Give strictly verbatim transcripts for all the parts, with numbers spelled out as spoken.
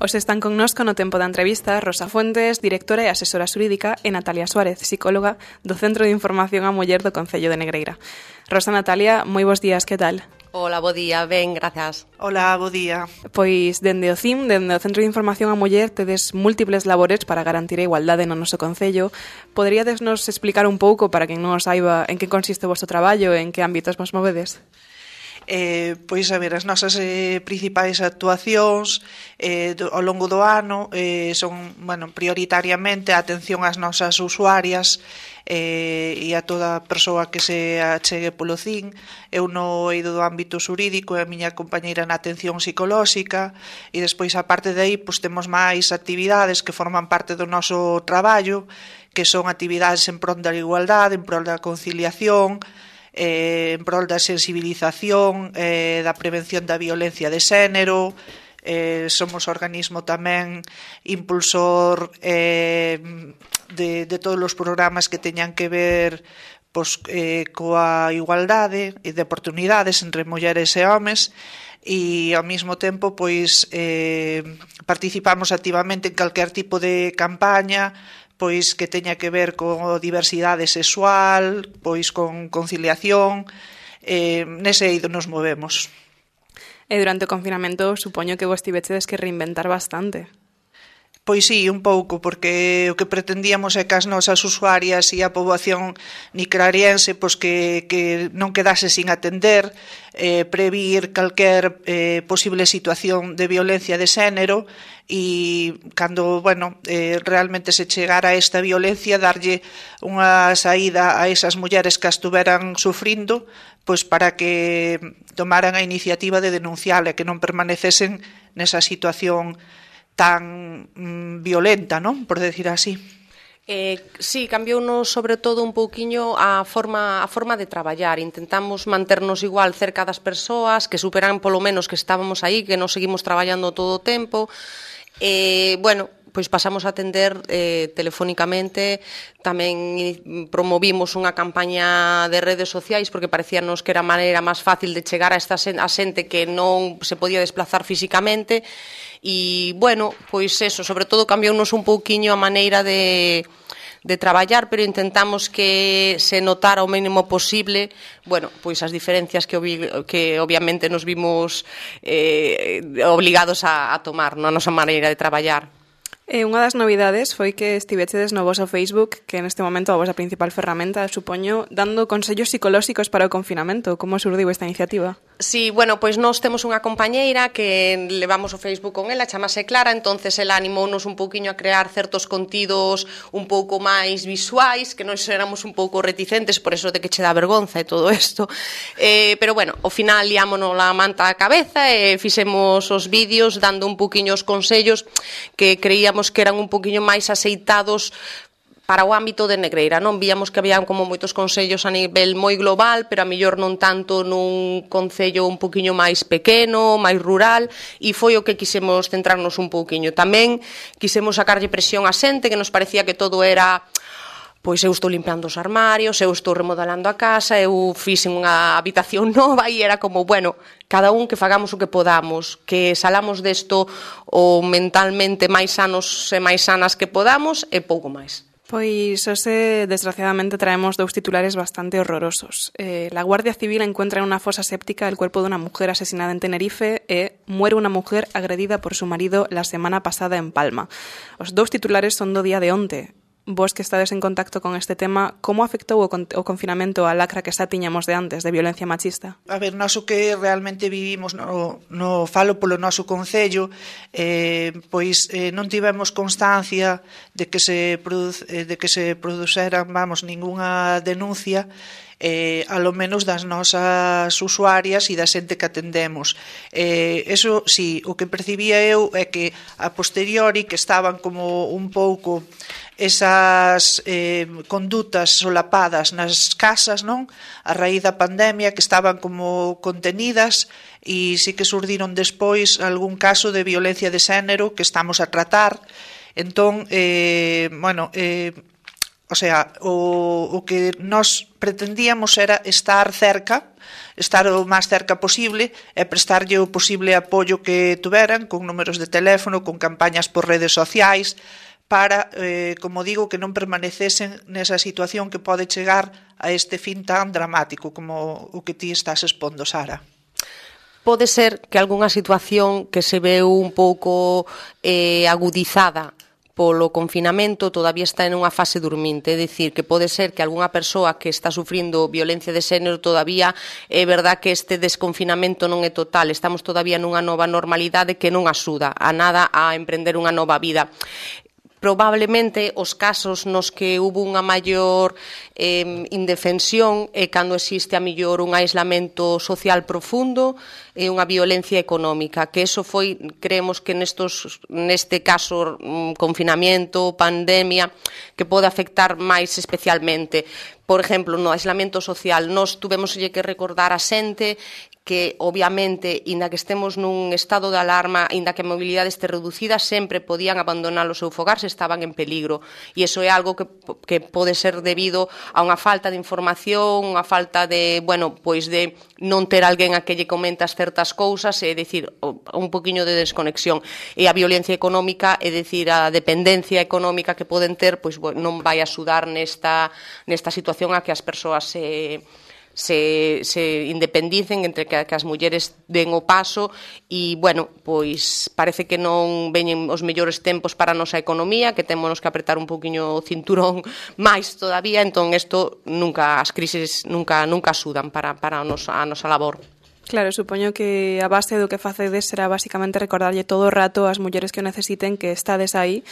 Os están connosco no tempo da entrevista Rosa Fuentes, directora e asesora xurídica, e Natalia Suárez, psicóloga do Centro de Información á Muller do Concello de Negreira. Rosa, Natalia, moi bons días, que tal? Hola, bo día, ben, gracias. Hola, bo día. Pois, dende o C I M, dende o Centro de Información á Muller, tedes múltiples labores para garantir a igualdade no noso Concello. Poderíades nos explicar un pouco, para quen non saiba, en que consiste o vosso traballo e en que ámbitos vos movedes? Eh, pois, a ver, as nosas eh, principais actuacións eh, do, ao longo do ano eh, son, bueno, prioritariamente a atención ás nosas usuarias eh, e a toda persoa que se achegue polo C I M. Eu no eido do ámbito xurídico e a miña compañeira na atención psicolóxica, e despois, a parte de aí, pois, temos máis actividades que forman parte do noso traballo, que son actividades en prol da igualdade, en prol da conciliación, Eh, en prol da sensibilización, eh, da prevención da violencia de xénero. Eh, somos organismo tamén impulsor eh, de, de todos os programas que teñan que ver pois, eh, coa igualdade e de oportunidades entre mulleres e homes, e ao mesmo tempo pois eh, participamos activamente en calquer tipo de campaña pois que teña que ver con diversidade sexual, pois con conciliación, eh, nese eido nos movemos. E durante o confinamento supoño que vos tivechedes que reinventar bastante. Pois sí, un pouco, porque o que pretendíamos é que as nosas usuarias e a poboación nicrariense pois que, que non quedase sin atender, eh, previr calquer eh, posible situación de violencia de xénero, e cando, bueno, eh, realmente se chegara a esta violencia, darlle unha saída a esas mulleres que a estuveran sufrindo, pois para que tomaran a iniciativa de denunciar e que non permanecesen nesa situación tan mm, violenta, non? Por decir así. Eh, sí, cambiounos sobre todo un pouquiño a forma a forma de traballar. Intentamos manternos igual cerca das persoas, que superan polo menos que estábamos aí, que nos seguimos traballando todo o tempo. Eh, bueno, pois pasamos a atender eh, telefónicamente. Tamén promovimos unha campaña de redes sociais porque parecíanos que era a maneira máis fácil de chegar a esta a xente que non se podía desplazar físicamente. E, bueno, pois eso, sobre todo cambiounos un pouquiño a maneira de, de traballar, pero intentamos que se notara o mínimo posible, bueno, pois as diferencias que, que obviamente nos vimos eh, obligados a, a tomar na nosa maneira de traballar. E unha das novidades foi que estivechedes no voso Facebook, que neste momento a vosa principal ferramenta, supoño, dando consellos psicolóxicos para o confinamento. Como surdiu esta iniciativa? Sí, bueno, pois nós temos unha compañeira que levamos o Facebook con ela, chamase Clara, entonces ela animounos un pouquiño a crear certos contidos un pouco máis visuais, que nós éramos un pouco reticentes por eso de que che dá vergonza e todo isto. Eh, pero bueno, ao final liámonos a manta á cabeza e fixemos os vídeos dando un pouquiño os consellos que creíamos que eran un poquinho máis aceitados para o ámbito de Negreira, non? Víamos que habían como moitos consellos a nivel moi global, pero a mellor non tanto nun concello un poquinho máis pequeno, máis rural, e foi o que quisemos centrarnos un pouquiño. Tamén quisemos sacarlle presión a xente, que nos parecía que todo era pois eu estou limpiando os armarios, eu estou remodelando a casa, eu fixen unha habitación nova, e era como, bueno, cada un que fagamos o que podamos, que salamos desto o mentalmente máis sanos e máis sanas que podamos, e pouco máis. Pois, hoxe, desgraciadamente, traemos dous titulares bastante horrorosos. Eh, la Guardia Civil encuentra en una fosa séptica el cuerpo de una mujer asesinada en Tenerife e muere una mujer agredida por su marido la semana pasada en Palma. Os dous titulares son do día de onte. Vos que estades en contacto con este tema, como afectou o, con, o confinamento a lacra que xa tiñamos de antes, de violencia machista? A ver, nós o que realmente vivimos no, no falo polo noso concello, eh, pois eh, non tivemos constancia de que se produce, de que se produceran, vamos, ningunha denuncia, eh, a lo menos das nosas usuarias e da xente que atendemos. Eh, eso, sí, o que percibía eu é que a posteriori que estaban como un pouco esas eh, condutas solapadas nas casas, non? A raíz da pandemia, que estaban como contenidas, e sí que surdiron despois algún caso de violencia de xénero que estamos a tratar. Entón, eh, bueno, eh, o sea, o, o que nós pretendíamos era estar cerca, estar o máis cerca posible e prestarlle o posible apoio que tuveran, con números de teléfono, con campañas por redes sociais, para, eh, como digo, que non permanecesen nesa situación que pode chegar a este fin tan dramático como o que ti estás expondo, Sara. Pode ser que algunha situación que se veu un pouco eh, agudizada polo confinamento todavía está en unha fase dorminte, é dicir, que pode ser que algunha persoa que está sufrindo violencia de xénero todavía é verdad que este desconfinamento non é total, estamos todavía nunha nova normalidade que non axuda a nada a emprender unha nova vida. Probablemente os casos nos que hubo unha maior eh, indefensión é cando existe a mellor un aislamento social profundo e unha violencia económica, que eso foi, creemos que nestos, neste caso, um, confinamento, pandemia, que pode afectar máis especialmente. Por exemplo, no aislamento social, nós tuvemos que recordar a xente que, obviamente, inda que estemos nun estado de alarma, inda que a mobilidade este reducida, sempre podían abandonar o seu fogar se estaban en peligro. E iso é algo que, que pode ser debido a unha falta de información, unha falta de, bueno, pois de non ter alguén a que lle comentas certas cousas, é dicir, un poquinho de desconexión. E a violencia económica, é dicir, a dependencia económica que poden ter, pois non vai axudar nesta, nesta situación a que as persoas se... se, se independicen, entre que, que as mulleres den o paso e, bueno, pois parece que non veñen os mellores tempos para a nosa economía, que temos que apretar un poquinho o cinturón máis todavía, entón isto nunca, as crises nunca nunca axudan para, para a, nosa, a nosa labor. Claro, supoño que a base do que facedes será basicamente recordarlle todo o rato ás mulleres que o necesiten que estades aí,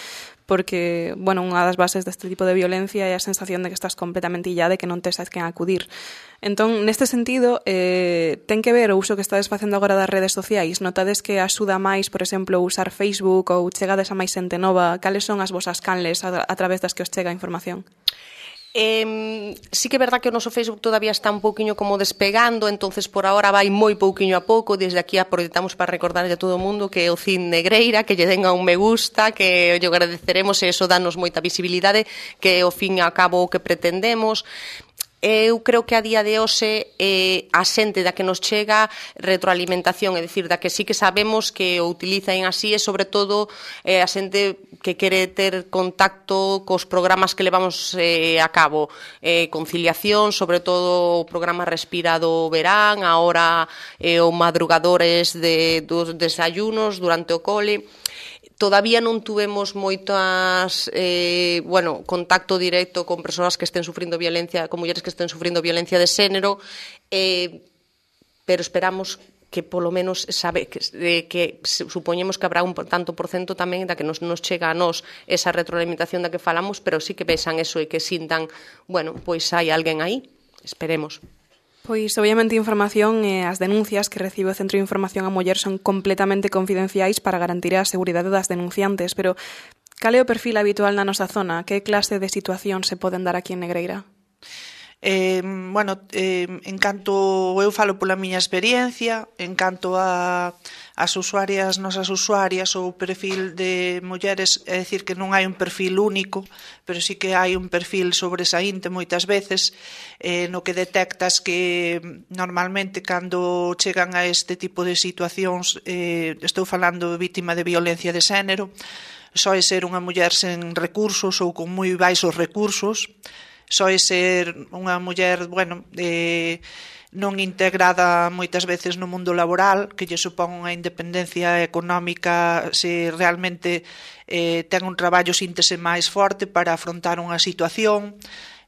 porque, bueno, unha das bases deste tipo de violencia é a sensación de que estás completamente illada e que non tes a quen acudir. Entón, neste sentido, eh, ten que ver o uso que estades facendo agora das redes sociais? Notades que axuda máis, por exemplo, usar Facebook ou chegades a máis xente nova? Cales son as vosas canles a, a través das que os chega a información? Eh, sí que é verdad que o noso Facebook todavía está un pouquiño como despegando, entonces por ahora vai moi pouquiño a pouco. Desde aquí aproveitamos para recordarlle a todo o mundo que o Cid Negreira, que lle den a un me gusta, que lle agradeceremos e eso danos moita visibilidade, que ao fin e ao cabo o que pretendemos. Eu creo que a día de hoxe eh, a xente da que nos chega retroalimentación, é dicir, da que sí que sabemos que o utilizan así e, sobre todo, eh, a xente que quere ter contacto cos programas que levamos eh, a cabo. Eh, conciliación, sobre todo o programa Respira do verán, agora eh, o madrugadores de, dos desayunos durante o cole. Todavía non tuvemos moitas, eh, bueno, contacto directo con persoas que estén sufrindo violencia, con mulleres que estén sufrindo violencia de xénero, eh, pero esperamos que polo menos sabe que, eh, que supoñemos que habrá un tanto por cento tamén da que nos, nos chega a nós esa retroalimentación da que falamos, pero sí que vexan eso e que sintan, bueno, pois hai alguén aí, esperemos. Pois, obviamente, a información e as denuncias que recibe o Centro de Información á Muller son completamente confidenciais para garantir a seguridade das denunciantes, pero cal é o perfil habitual na nosa zona? Que clase de situación se poden dar aquí en Negreira? Eh, bueno, eh, en canto eu falo pola miña experiencia, en canto a as usuarias, nosas usuarias, o perfil de mulleres, é dicir que non hai un perfil único, pero sí que hai un perfil sobresaínte moitas veces, eh, no que detectas que normalmente cando chegan a este tipo de situacións, eh, estou falando de vítima de violencia de xénero, soe ser unha muller sen recursos ou con moi baixos recursos, soe ser unha muller, bueno, eh, non integrada moitas veces no mundo laboral, que lle supón unha independencia económica se realmente eh, ten un traballo síntese máis forte para afrontar unha situación,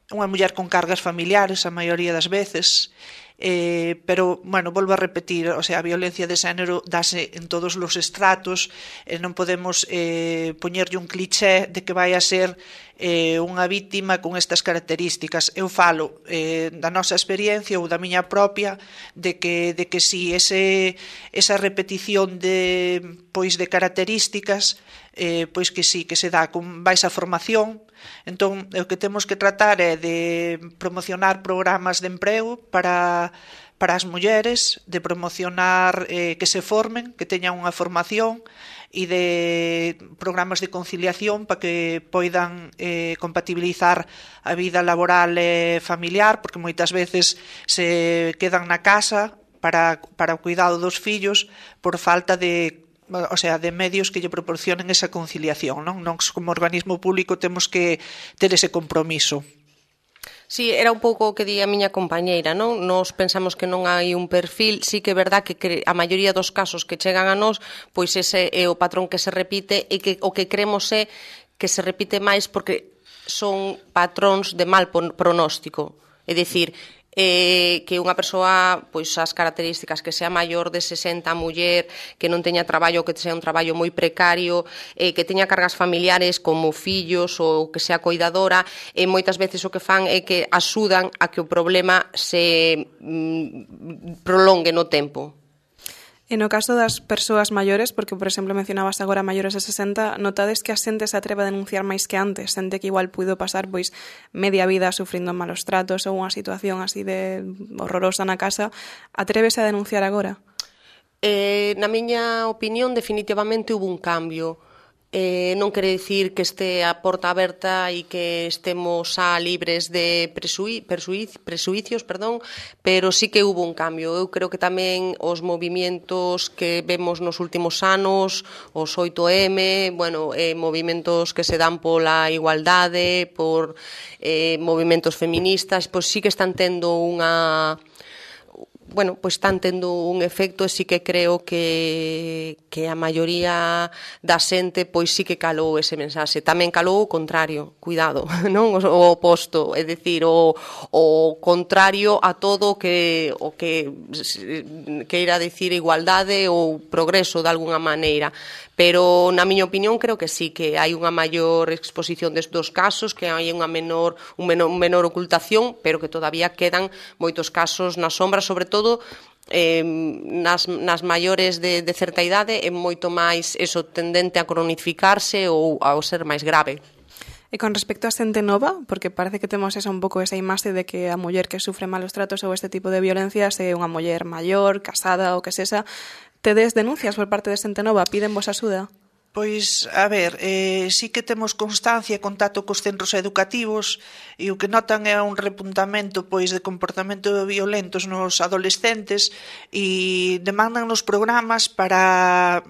unha muller con cargas familiares a maioría das veces, eh, pero, bueno, volvo a repetir, o sea, a violencia de xénero dase en todos os estratos, e non podemos eh, poñerlle un cliché de que vai a ser eh, unha vítima con estas características. Eu falo eh, da nosa experiencia ou da miña propia de que, de que si ese, esa repetición de, pois, de características eh, pois que si, que se dá con baixa formación. Entón, o que temos que tratar é de promocionar programas de emprego para, para as mulleres, de promocionar eh, que se formen, que teñan unha formación e de programas de conciliación para que poidan eh, compatibilizar a vida laboral e familiar, porque moitas veces se quedan na casa para, para o cuidado dos fillos por falta de o sea, de medios que lle proporcionen esa conciliación, non? Non como organismo público temos que ter ese compromiso. Sí, era un pouco o que di a miña compañeira, non? Nos pensamos que non hai un perfil, sí que é verdad que a maioría dos casos que chegan a nós, pois ese é o patrón que se repite e que o que cremos é que se repite máis porque son patróns de mal pronóstico. É dicir, eh, que unha persoa, pois as características, que sea maior de sesenta, muller, que non teña traballo, que sea un traballo moi precario, eh, que teña cargas familiares como fillos ou que sea coidadora, e moitas veces o que fan é que axudan a que o problema se mm, prolongue no tempo. E no caso das persoas maiores, porque, por exemplo, mencionabas agora maiores de sesenta, notades que a xente se atreve a denunciar máis que antes, xente que igual puido pasar pois media vida sufrindo malos tratos ou unha situación así de horrorosa na casa, atrévese a denunciar agora? Eh, na miña opinión, definitivamente hubo un cambio. Eh, non quere dicir que este a porta aberta e que estemos xa libres de presui, presui, presuicios, perdón, pero sí que hubo un cambio. Eu creo que tamén os movimientos que vemos nos últimos anos, os oito eme, bueno, eh, movimentos que se dan pola igualdade, por eh, movimentos feministas, pois sí que están tendo unha... bueno, pois están tendo un efecto e sí que creo que, que a maioría da xente pois sí que calou ese mensaxe. Tamén calou o contrario, cuidado, non? O, o oposto, é dicir, o, o contrario a todo que, o que queira dicir igualdade ou progreso de alguna maneira. Pero, na miña opinión, creo que sí, que hai unha maior exposición destes casos, que hai unha menor, un menor, un menor ocultación, pero que todavía quedan moitos casos na sombra, sobre todo eh, nas, nas maiores de, de certa idade, é moito máis eso tendente a cronificarse ou a ser máis grave. E con respecto a xente nova, porque parece que temos esa un pouco esa imaxe de que a muller que sufre malos tratos ou este tipo de violencias é unha muller maior, casada ou que sexa. Tedes denuncias por parte de xente nova? Piden vos axuda? Pois, a ver, eh, sí que temos constancia e contacto cos centros educativos e o que notan é un repuntamento pois de comportamento violentos nos adolescentes e demandan nos programas para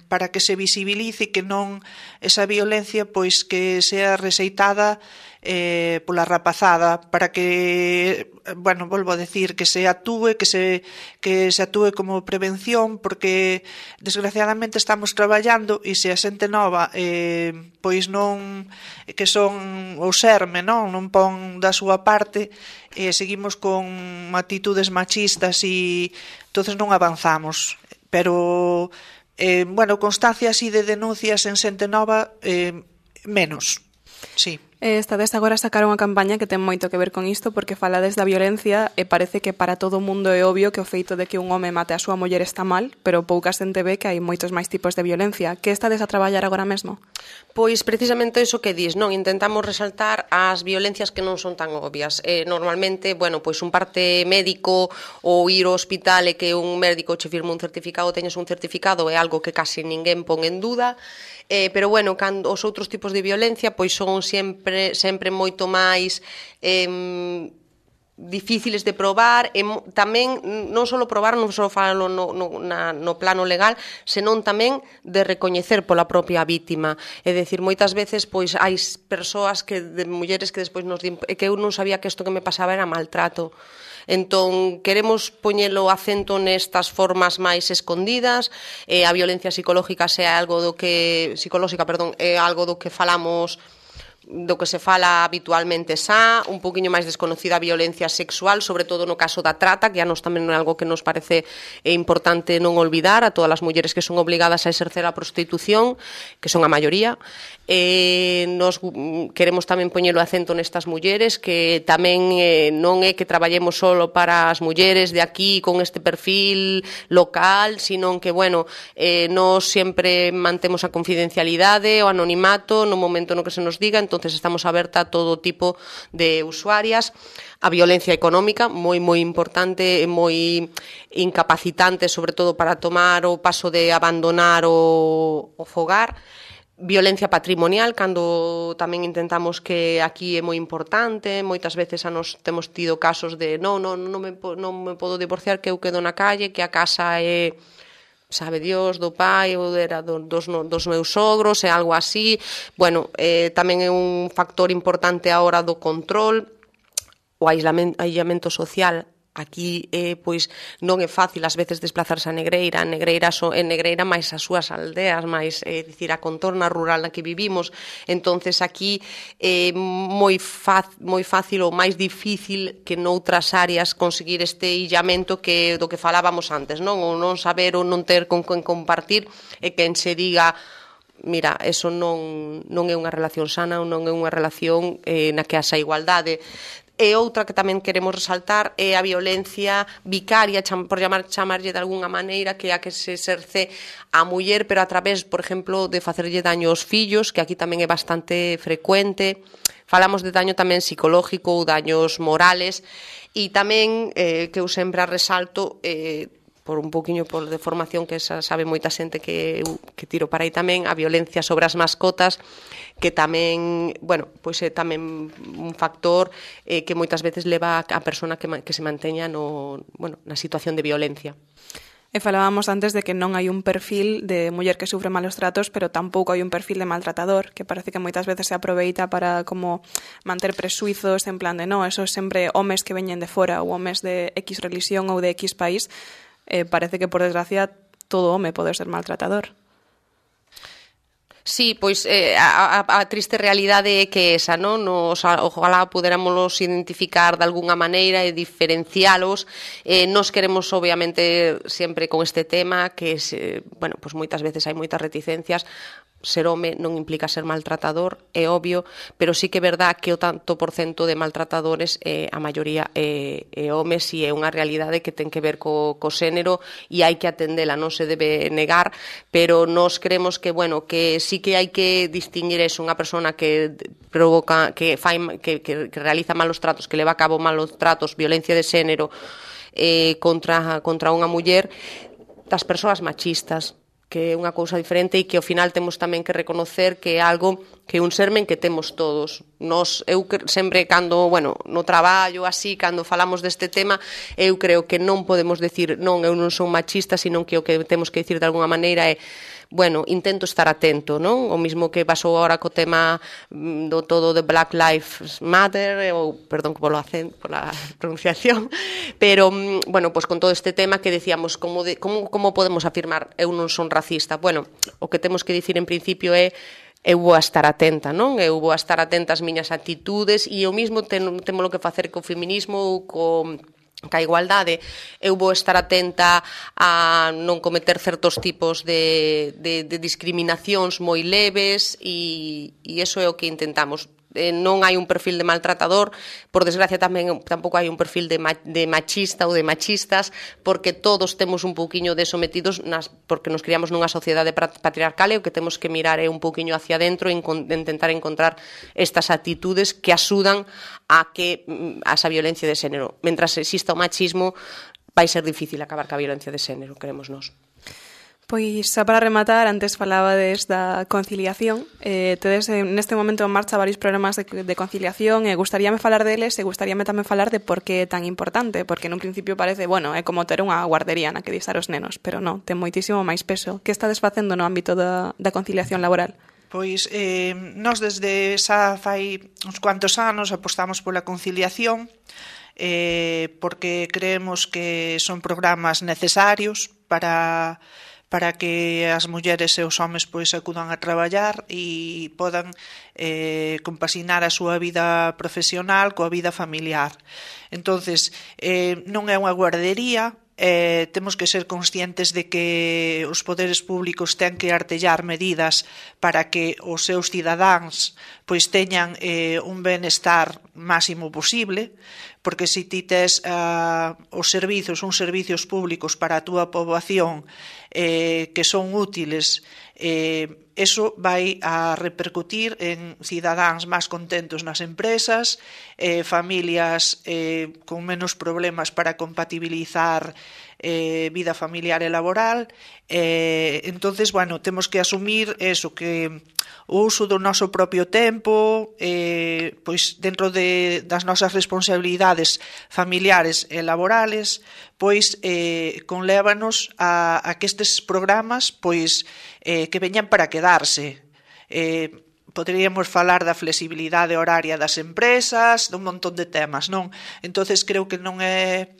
para que se visibilice que non esa violencia pois que sea rexeitada eh, pola rapazada, para que, bueno, volvo a decir, que se atúe, que se, que se atúe como prevención, porque desgraciadamente estamos traballando e se a xente nova eh, pois non, que son o xerme, non, non pon da súa parte, e eh, seguimos con actitudes machistas e entonces non avanzamos. Pero, eh, bueno, constancia así de denuncias en xente nova, eh, menos, sí. Estades agora a sacar unha campaña que ten moito que ver con isto porque falades da violencia e parece que para todo o mundo é obvio que o feito de que un home mate a súa muller está mal, pero pouca xente ve que hai moitos máis tipos de violencia. Que estades a traballar agora mesmo? Pois precisamente iso que dis, non? Intentamos resaltar as violencias que non son tan obvias. Eh, normalmente, bueno, pois un parte médico ou ir ao hospital e que un médico che firme un certificado, teñes un certificado, é algo que casi ninguén pon en duda. Eh, pero, bueno, cando os outros tipos de violencia pois son sempre, sempre moito máis eh, difíciles de probar e tamén non só probar, non só falo no, no, na, no plano legal, senón tamén de recoñecer pola propia vítima. É dicir, moitas veces pois hai persoas que de mulleres que despois nos din que eu non sabía que isto que me pasaba era maltrato. Entón, queremos poñelo acento nestas formas máis escondidas, eh, a violencia psicológica sea algo do que psicolóxica, perdón, é algo do que falamos do que se fala habitualmente xa, un poquinho máis desconocida a violencia sexual, sobre todo no caso da trata, que a nos tamén é algo que nos parece importante non olvidar, a todas as mulleres que son obligadas a exercer a prostitución, que son a maioría. Eh, nos queremos tamén poñelo acento nestas mulleres, que tamén eh, non é que traballemos solo para as mulleres de aquí con este perfil local, sino que, bueno, eh, nos sempre mantemos a confidencialidade, o anonimato no momento no que se nos diga. entonces estamos aberta a todo tipo de usuarias. A violencia económica, moi moi importante, moi incapacitante, sobre todo para tomar o paso de abandonar o, o fogar. Violencia patrimonial, cando tamén intentamos que aquí é moi importante, moitas veces a nos temos tido casos de non, non, non, me, non me podo divorciar, que eu quedo na calle, que a casa é, sabe Dios, do pai ou era do, dos, dos meus sogros, é algo así. Bueno, eh, tamén é un factor importante a hora do control. O aislamento social, aquí eh, pois non é fácil ás veces desplazarse a Negreira, a Negreira so, en Negreira máis as súas aldeas, máis eh, dicir, a contorna rural na que vivimos, entonces aquí é eh, moi, faz, moi fácil ou máis difícil que noutras áreas conseguir este illamento que do que falábamos antes, non? O non saber ou non ter con quen compartir e quen se diga mira, eso non, non é unha relación sana ou non é unha relación eh, na que haxa igualdade. E outra que tamén queremos resaltar é a violencia vicaria, por chamar, chamarlle de algunha maneira, que é a que se exerce a muller, pero a través, por exemplo, de facerlle daño aos fillos, que aquí tamén é bastante frecuente. Falamos de daño tamén psicológico ou daños morales, e tamén, eh, que eu sempre resalto, eh, por un poquinho por de formación que esa sabe moita xente que, que tiro para aí tamén, a violencia sobre as mascotas, que tamén, bueno, pois é tamén un factor eh, que moitas veces leva a persona que, que se manteña no, bueno, na situación de violencia. E falábamos antes de que non hai un perfil de muller que sufre malos tratos, pero tampouco hai un perfil de maltratador, que parece que moitas veces se aproveita para como manter presuizos en plan de no, eso é sempre homes que veñen de fora ou homes de X religión ou de X país. Eh, parece que, por desgracia, todo home pode ser maltratador. Sí, pois eh, a, a, a triste realidade é que esa, non? Nos, ojalá puderámolos identificar de algunha maneira e diferencialos. Eh, nos queremos, obviamente, sempre con este tema, que, se, bueno, pois moitas veces hai moitas reticencias. Ser home non implica ser maltratador, é obvio, pero sí que é verdad que o tanto por cento de maltratadores, eh, a maioría é, é homes, e é unha realidade que ten que ver co, co xénero e hai que atendela, non se debe negar, pero nos creemos que, bueno, que sí que hai que distinguir eso, unha persona que provoca, que, fai, que, que, que realiza malos tratos, que leva a cabo malos tratos, violencia de xénero eh, contra, contra unha muller, das persoas machistas, que é unha cousa diferente e que ao final temos tamén que reconocer que é algo que é un sermen que temos todos. Nos, eu sempre cando, bueno, no traballo así, cando falamos deste tema, eu creo que non podemos decir non, eu non son machista, sino que o que temos que decir de alguna maneira é bueno, intento estar atento, non? O mismo que pasou agora co tema do todo de Black Lives Matter, ou, perdón pola, pola pronunciación, pero, bueno, pues con todo este tema que decíamos, como, de, como, como podemos afirmar eu non son racista? Bueno, o que temos que dicir en principio é eu vou a estar atenta, non? Eu vou a estar atenta ás miñas actitudes e o mismo ten, temos que facer co feminismo ou co ca igualdade, eu vou estar atenta a non cometer certos tipos de, de, de discriminacións moi leves e, e iso é o que intentamos. Eh, non hai un perfil de maltratador, por desgracia tamén tampouco hai un perfil de, ma, de machista ou de machistas, porque todos temos un pouquiño de sometidos nas, porque nos criamos nunha sociedade patriarcal e o que temos que mirar é un pouquiño hacia dentro e intentar encontrar estas actitudes que axudan a que a esa violencia de xénero. Mentras exista o machismo, vai ser difícil acabar ca violencia de xénero, queremos nós. Pois, xa para rematar, antes falabades da conciliación. Eh, tedes neste momento en marcha varios programas de, de conciliación e gustaríame falar deles e gustaríame tamén falar de por que é tan importante, porque nun principio parece, bueno, é como ter unha guardería na que distar os nenos, pero non, ten moitísimo máis peso. Que estades facendo no ámbito da, da conciliación laboral? Pois eh, nós desde xa fai uns cuantos anos apostamos pola conciliación, eh, porque creemos que son programas necesarios para para que as mulleres e os homes pois acudan a traballar e podan eh, compasinar a súa vida profesional coa vida familiar. Entonces, eh, non é unha guardería, eh, temos que ser conscientes de que os poderes públicos ten que artellar medidas para que os seus cidadáns pois teñan eh, un benestar máximo posible, porque se ti tes uh, os servizos, uns servizos públicos para a túa poboación eh, que son útiles Eh, eso vai a repercutir en cidadáns máis contentos nas empresas, eh, familias eh, con menos problemas para compatibilizar eh, vida familiar e laboral. Eh, entonces, bueno, temos que asumir eso, que o uso do noso propio tempo, eh, pois dentro de, das nosas responsabilidades familiares e laborales, pois eh, conlévanos a, a que estes programas pois eh, que veñan para quedarse. Eh, poderíamos falar da flexibilidade horaria das empresas, dun montón de temas, non? Entonces creo que non é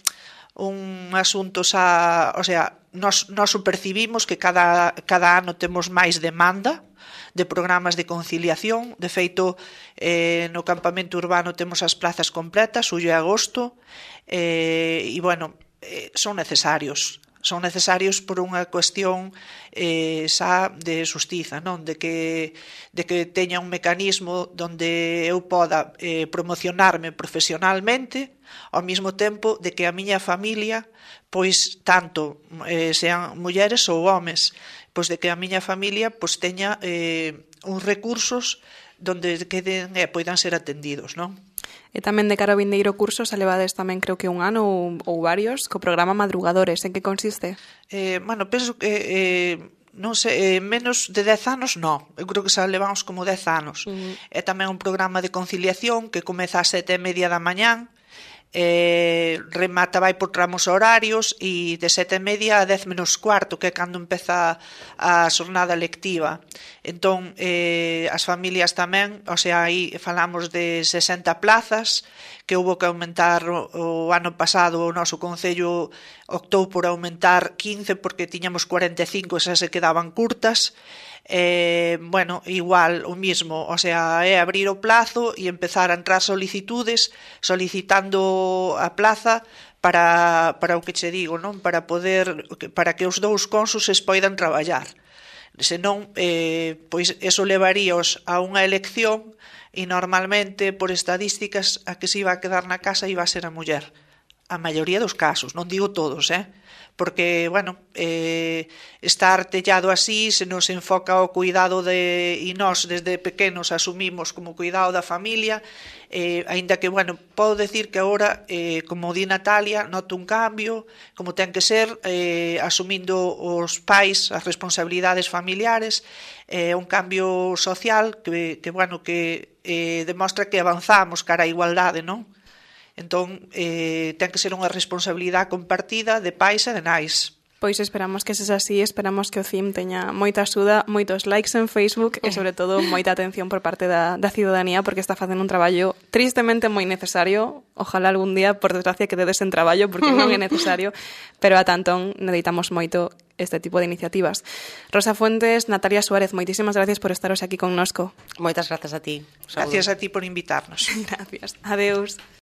un asunto xa, o sea, nos, nos percibimos que cada, cada ano temos máis demanda de programas de conciliación. De feito, eh, no campamento urbano temos as plazas completas, xullo e agosto, eh, e, bueno, eh, son necesarios. Son necesarios por unha cuestión eh, xa de xustiza, non? De que, de que teña un mecanismo donde eu poda eh, promocionarme profesionalmente, ao mesmo tempo de que a miña familia, pois tanto eh, sean mulleres ou homes, pois de que a miña familia pois teña eh, uns recursos donde queden e eh, poidan ser atendidos, non? E tamén de cara ao vindeiro curso se levades tamén creo que un ano ou, ou varios co programa Madrugadores. En que consiste? Eh, bueno, penso que eh, non sei, eh, menos de dez anos non. Eu creo que xa levamos como dez anos. Uh-huh. É tamén un programa de conciliación que comeza ás sete e media da mañán, eh, remata, vai por tramos horarios, e de sete e media a dez menos cuarto, que é cando empeza a xornada lectiva. Entón, eh, as familias tamén, o sea, aí falamos de sesenta plazas, que houve que aumentar o, o ano pasado, o noso Concello optou por aumentar quince porque tiñamos cuarenta e cinco e xa se quedaban curtas. Eh, bueno, igual o mismo, o sea, é abrir o plazo e empezar a entrar solicitudes solicitando a plaza para, para o que che digo, non? Para poder, para que os dous cónsuses poidan traballar. Senón, eh, pois eso levaríos a unha elección e normalmente, por estadísticas, a que se iba a quedar na casa iba a ser a muller. A maioría dos casos, non digo todos, eh? Porque, bueno, eh, está artellado así, se nos enfoca o cuidado de, e nós desde pequenos asumimos como cuidado da familia, eh, aínda que, bueno, podo decir que agora, eh, como di Natalia, noto un cambio, como ten que ser, eh, asumindo os pais as responsabilidades familiares, eh, un cambio social que, que bueno, que eh, demostra que avanzamos cara á igualdade, non? Entón, eh, ten que ser unha responsabilidade compartida de pais e de nais. Pois esperamos que sexa así, esperamos que o C I M teña moita axuda, moitos likes en Facebook e, sobre todo, moita atención por parte da, da ciudadanía, porque está facendo un traballo tristemente moi necesario. Ojalá algún día, por desgracia, que dedes en traballo, porque non é necesario, pero a tantón necesitamos moito este tipo de iniciativas. Rosa Fuentes, Natalia Suárez, moitísimas gracias por estaros aquí connosco. Moitas grazas a ti. Gracias a ti por invitarnos. Gracias. Adeus.